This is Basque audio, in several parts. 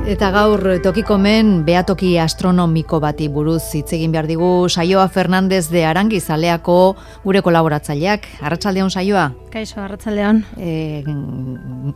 Eta gaur tokikomen behatoki astronomiko bati buruz hitz egin behar digu Saioa Fernandez de Arangizaleako gure kolaboratzaileak. Arratsaldeon Saioa. Kaixo, arratsaldeon.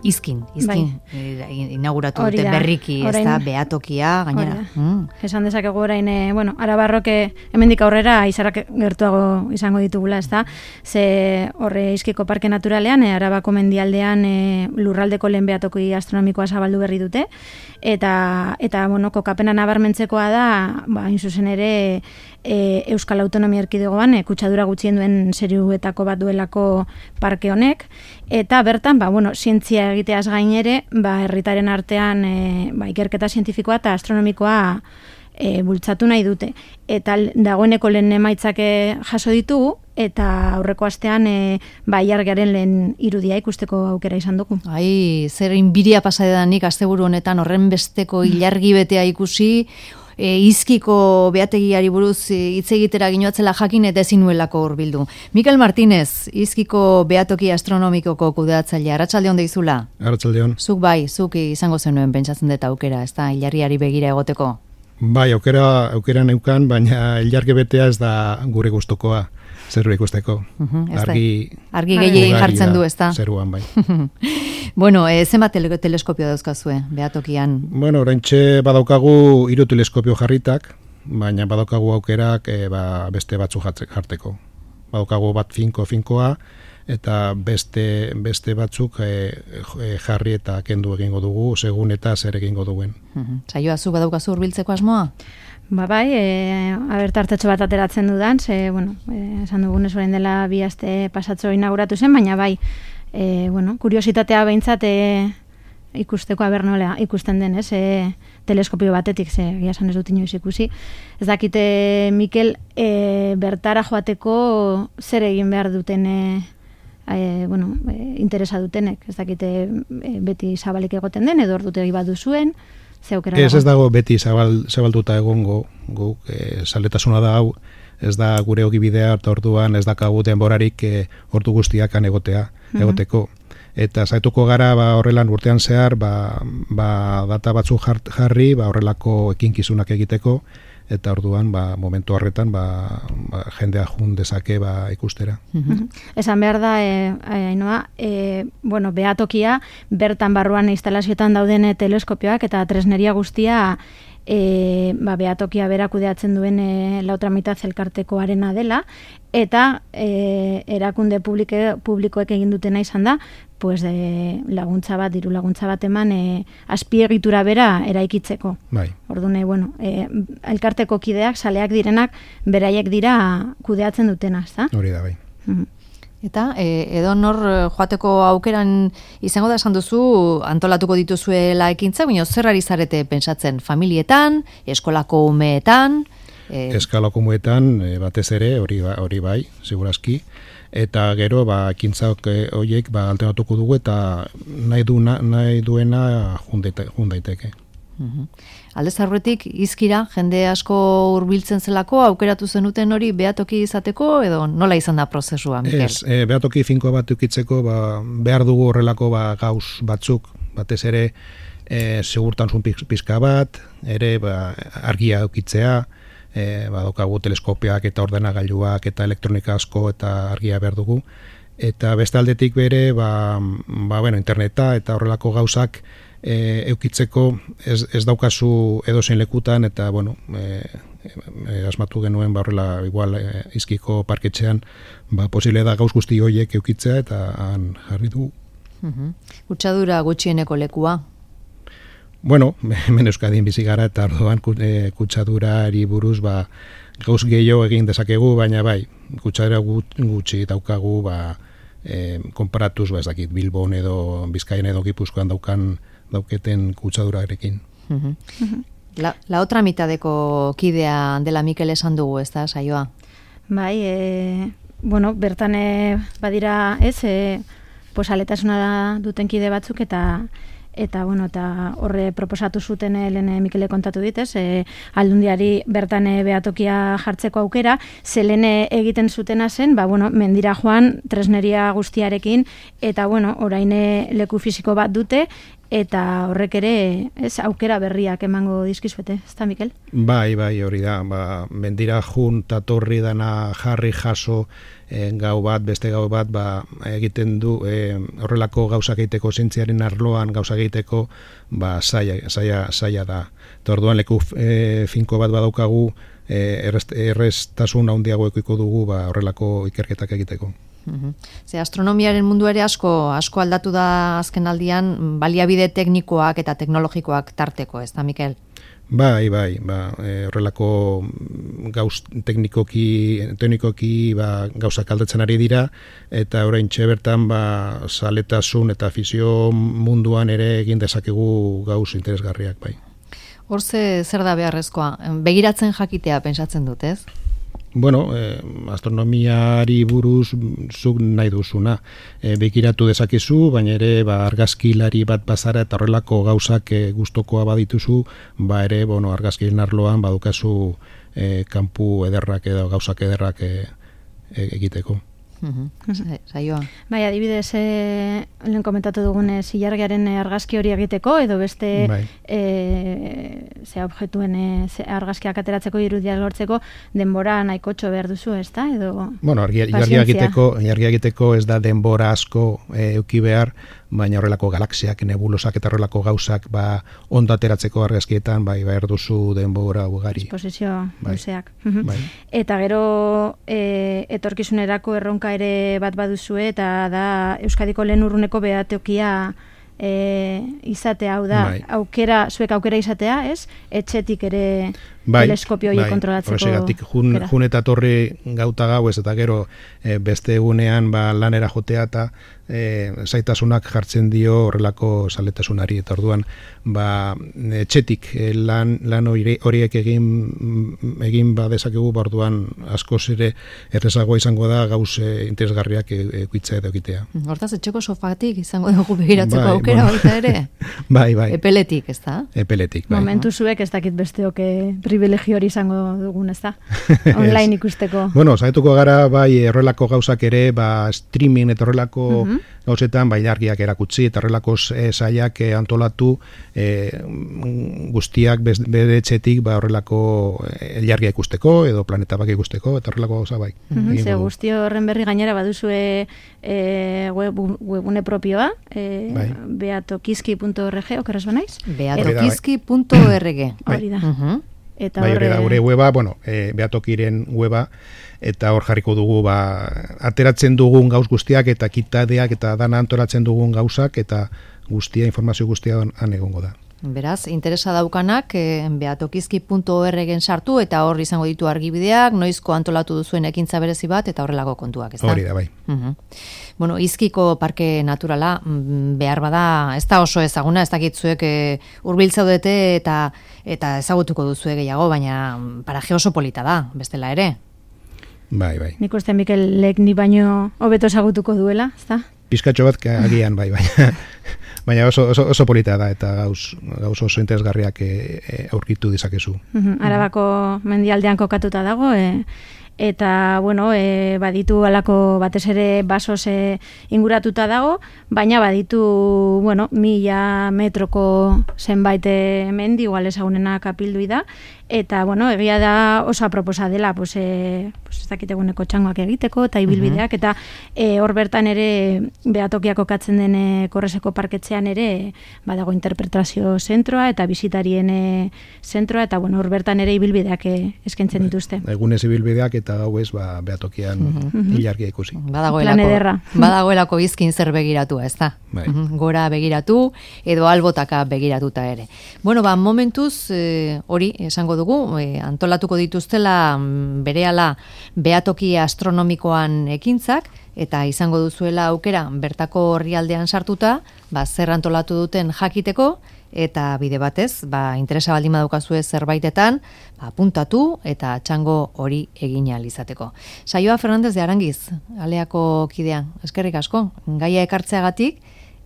Izkin, inauguratu dute berriki, ez da, behatokia, gainera. Esan dezakegu orain, Arabarrok hemendik aurrera izarak gertuago izango ditugula, ez da? Ze horre Izkiko Parke Naturalean, Arabako mendialdean lurraldeko lehen behatoki astronomikoa zabaldu berri dute, eta kokapena nabarmentzekoa da, hain zuzen ere, Euskal Autonomia Erkidegoan kutsadura gutxien duen seriuetako bat duelako parke honek, eta bertan, zientzia egiteaz gain ere, herritaren artean ikerketa zientifikoa eta astronomikoa bultzatu nahi dute. Eta dagoeneko lehen emaitzak jaso ditugu, eta aurreko astean ilargiaren lehen irudia ikusteko aukera izan dugu. Zer inbiria pasadedanik asteburu honetan horren besteko ilargi betea ikusi, Izkiko behategiari buruz hitz egitera ginoatzela jakin eta ezin nuelako hurbildu. Mikel Martínez, Izkiko behatoki astronomikoko kudeatzailea, arratsaldeon deizula? Arratsaldeon. Zuk izango zenuen pentsatzen dut aukera, ez da, ilargiari begira egoteko? Bai, aukera neukan, baina ilargi betea ez da gure gustukoa. Zerua ikusteko. Argi gehiagin jartzen du, ez da? Zeruan, bai. Zenbat teleskopio dauzkazue, behatokian? Oraintxe badaukagu 3 teleskopio jarritak, baina badaukagu aukerak beste batzu jarteko. Badaukagu bat finkoa, eta beste batzuk jarri eta kendu egingo dugu, segun eta zer egingo duen. Saioa, zu badaukazu hurbiltzeko asmoa? Tartetxo bat ateratzen dudan, esan dugunez orain dela 2 aste pasatxo inauguratu zen, baina kuriositatea behintzat ikusteko nola ikusten den, teleskopio batetik, egia esan ez dut inoiz ikusi. Ez dakite, Mikel, bertara joateko zer egin behar duten interesa dutenek, ez dakite beti zabalik egoten den, edo ordutegi bat duzuen, Ez dago beti zabalduta egongo, zaletasuna da hau, ez da gure ogibidea eta orduan ez dakagu denborarik ordu guztiakan egoteko. Eta zaituko gara horrelan urtean zehar, data batzuk jarri, horrelako ekinkizunak egiteko, eta orduan momentu horretan jendea jun dezake ikustera. Esan behar da, Ainoa, behatokia bertan barruan instalazioetan dauden teleskopioak eta tresneria guztia behatokia bera kudeatzen duen lautra mitad elkartekoarena dela, eta erakunde publikoek egin dutena izan da, laguntza bat, diru laguntza bat eman azpiegitura bera eraikitzeko. Orduan, elkarteko kideak, saleak direnak, beraiek dira kudeatzen dutena, ezta? Hori da, bai. Eta, edo nor joateko aukeran izango da esan duzu, antolatuko dituzuela ekintzak, baina zer ari zarete pentsatzen, familietan, eskolako umeetan? Eskolako umeetan, batez ere, hori bai, segurazki, eta gero, ekintzak horiek alternatuko dugu eta nahi duena jun daiteke. Aldez aurretik Izkira jende asko hurbiltzen zelako aukeratu zenuten hori behatoki izateko edo nola izan da prozesua, Mikel? Ez, behatoki finko bat ukitzeko behar dugu horrelako gauz batzuk, batez ere segurtasun pizka bat, ere argia ukitzea, badaukagu teleskopiak eta ordenagailuak eta elektronika asko eta argia behar dugu, eta beste aldetik bere interneta eta horrelako gauzak eukitzeko ez daukazu edozein lekutan eta asmatu genuen horrela igual Izkiko parketxean posible da gauz guzti horiek eukitzea eta han jarri du. Kutsadura gutxieneko lekua? Hemen Euskadin bizi gara eta orduan kutsadurari buruz gauz gehiago egin dezakegu, baina kutsadura gutxi daukagu konparatuz ez dakit Bilbon edo Bizkaian edo Gipuzkoan dauketen kutsadurarekin. La otra mitadeko kidea dela Mikel esan dugu, ez da, Saioa? Bertan badira aletasuna duten kide batzuk eta horre proposatu zuten lehen Mikele kontatu dit, aldundiari bertan behatokia jartzeko aukera, lehen egiten zutena zen, mendira joan tresneria guztiarekin, eta orain leku fisiko bat dute, eta horrek ere, aukera berriak emango dizkizuete, ezta Mikel? Bai, hori da, mendira jun tatorri dana jarri jaso gau bat, beste gau bat, egiten du horrelako gauzak egiteko zientziaren arloan gauzak egiteko zaila da. Eta orduan leku finko bat badaukagu erreztasun handiago ekoiko dugu horrelako ikerketak egiteko. Ze astronomiaren mundu ere asko aldatu da azken aldian baliabide teknikoak eta teknologikoak tarteko, ez da, Mikel? Bai, horrelako gauz teknikoki gauzak aldatzen ari dira, eta oraintxe bertan zaletasun eta afizio munduan ere egin dezakegu gauz interesgarriak, bai. Hor zer da beharrezkoa? Begiratzen jakitea pentsatzen dut, ez? Bueno, astronomiari buruz zuk nahi duzuna. Begiratu dezakezu, baina ere argazkilari bat bazara eta horrelako gauzak gustokoa badituzu, ere argazkilen arloan badukazu kanpu ederrak edo gauzak ederrak egiteko. Saioa. Bai, adibidez, lehen komentatu dugun ilargiaren argazki hori egiteko, edo beste objektuen argazkiak ateratzeko, irudiak lortzeko, denbora nahikotxo behar duzu, ez da? Bueno, ilargia egiteko ez da denbora asko euki behar, baina horrelako galaxiak, nebulosak eta horrelako gauzak ondo ateratzeko argazkietan behar duzu denbora ugari. Esposizio luzeak. Eta gero etorkizunerako erronka ere bat baduzue, eta da Euskadiko lehen urruneko behatokia izatea, hau da, zuek aukera izatea, ez? Etxetik ere teleskopio hori kontrolatzeko. Horregatik, jun eta torri gauta gau ez, eta gero beste egunean lanera jotea eta zaitasunak jartzen dio horrelako zaletasunari, eta orduan etxetik lan horiek egin dezakegu, orduan askoz ere errezagoa izango da gauz interesgarriak ekuitza edo egitea. Hortaz, etxeko sofatik izango dugu begiratzeko aukera baita ere? Bai. Epeletik, ez da? Epeletik, bai. Momentu zuek ez dakit besteok privilegio hori izango dugun, ez da? Online ikusteko. Bueno, zaituko gara, horrelako gauzak ere, streaming eta horrelako gauzetan, ilargiak erakutsi, eta horrelako sailak antolatu guztiak bere etxetik horrelako ilargia ikusteko, edo planeta bak ikusteko, eta horrelako gauza bai. Ze guzti horren berri gainera baduzue webune propioa, beatokizki.org, okeraz banaiz? Beatokizki.org. Hori da. Hori da, gure weba, Beatokiren weba, eta hor jarriko dugu ateratzen dugun gauz guztiak eta kitadeak eta dana antolatzen dugun gauzak eta informazio guztia han egongo da. Beraz, interesa daukanak beatokizki.org-en sartu eta hor izango ditu argibideak, noizko antolatu duzuen ekintza berezi bat eta horrelako kontuak, ez da? Hori da, bai. Bueno, Izkiko parke naturala behar bada, ez da oso ezaguna, ez dakitzuek hurbiltzaudete eta ezagutuko duzue gehiago, baina paraje oso polita da, bestela ere. Bai. Nik uste Mikel lek ni baino hobeto ezagutuko duela, ez da? Pizkatxo bat agian, bai. Baina oso polita da eta gauz oso interesgarriak aurkitu dizakezu. Arabako mendialdean kokatuta dago, eta, baditu alako batez ere basoz inguratuta dago, baina baditu, 1000 metroko zenbait mendi, igual ezagunena kapildui da, eta, egia da oso aproposa dela, ez dakiteguneko txangoak egiteko, eta ibilbideak, eta hor bertan ere Beatokiak kokatzen den Korreseko parketzean ere badago interpretazio zentroa, eta bisitarien zentroa, eta hor bertan ere ibilbideak eskaintzen dituzte. Egunez ibilbideak eta gauez Beatokian ilargia ikusi. Badagoelako izkin zer begiratua, ez da? Gora begiratu, edo albotaka begiratuta ere. Momentuz, hori esango dugu, antolatuko dituztela berehala Beatoki astronomikoan ekintzak, eta izango duzuela aukera bertako orrialdean sartuta, zer antolatu duten jakiteko, eta bide batez, interesa baldin badukazue zerbaitetan, apuntatu eta txango hori egin ahal izateko. Saioa Fernandez de Arangiz, Aleako kidea, eskerrik asko, gaia ekartzeagatik,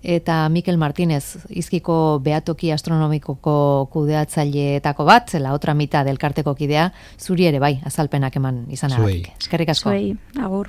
eta Mikel Martínez, Izkiko Beatoki astronomikoko kudeatzaileetako bat, la otra mitad elkarteko kidea, zuri ere bai, azalpenak eman izanagatik. Eskerrik asko. Zuei, agur.